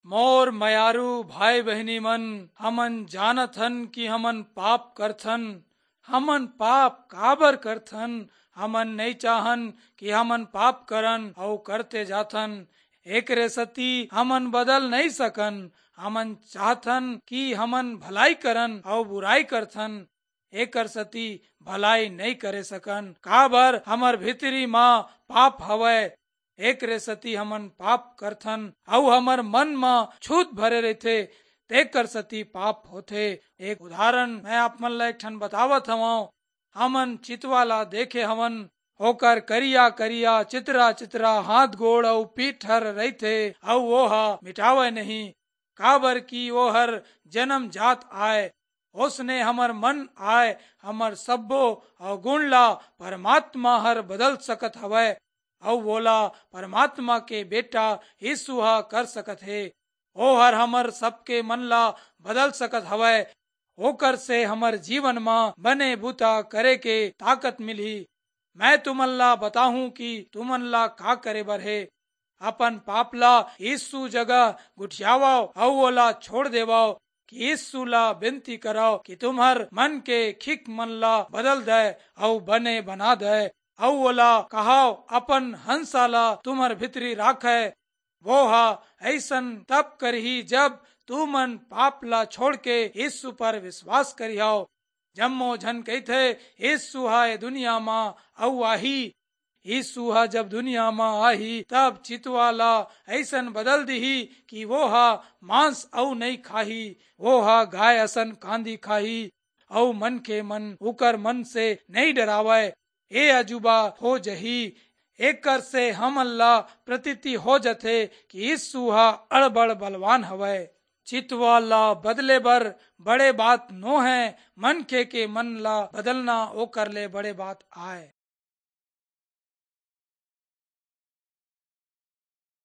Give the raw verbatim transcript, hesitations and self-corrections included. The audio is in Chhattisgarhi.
मोर मयारू भाई बहिनी मन, हमन जानत हन कि हमन पाप करथन। हमन पाप काबर करथन? हमन नइ चाहन कि हमन पाप करन अऊ करते जाथन। एकरे सेती हमन बदल नइ सकन। हमन चाहथन कि हमन भलाई करन अऊ बुराई करथन। एकर सेती भलाई नइ करे सकन, काबर हमर भीतरी म पाप हवय। एकरे सेती हमन पाप करथन अऊ हमर मन म छूत भरे रहिथे, तेकर सेती पाप होथे। एक उदाहरण मैं आप मन ला एक ठन बतावत हवंव। हमन चितवा ला देखे हवन, ओकर करिया-करिया, चितरा-चितरा हाथ गोड़ अऊ पीठ हर रहिथे, अऊ वो ह मिटावय नहीं, काबर कि वो हर जनमजात आय। ओसने हमर मन आय, हमर सब्बो अवगुण ला परमात्मा हर बदल सकत हवय, अऊ वोला परमात्मा के बेटा यीशु ह कर सकत हे। ओहर हमर सबके मन ला बदल सकत हवय। ओकर से हमर जीवन म बने बुता करे के ताकत मिलही। मैं तुमन ला बताहूं कि तुमन ला का करे बर हे। अपन पाप ला यीशु जगह गुठियावव अऊ ओला छोड़ देवव, कि यीशु ला बेनती करव कि तुम्हर मन के खिक मन ला बदल दय अऊ बने बना दय, अऊ ओला कहव अपन हंसा ला तुम्हर भीतरी राखय। वो ह अइसन तब करही, जब तुमन पाप ला छोड़ के यीशु पर विश्वास करिहव। जम्मो झन कहिथे, "यीशु ह ए दुनिया म अऊ आही।" यीशु ह जब दुनिया म आही, तब चितवा ला अइसन बदल दिही कि वो ह मांस अऊ नइ खाही, वो ह गाय असन कांदी खाही, अऊ मनखे मन उकर मन से नइ डरावय। ए अजूबा हो जही। एकर से हमन ला प्रतीति हो जथे कि यीशु ह अड़बड़ बलवान हवय। चितवा ला बदले बर बड़े बात नो है, मनखे के मन ला बदलना ओकर ले बड़े बात आय।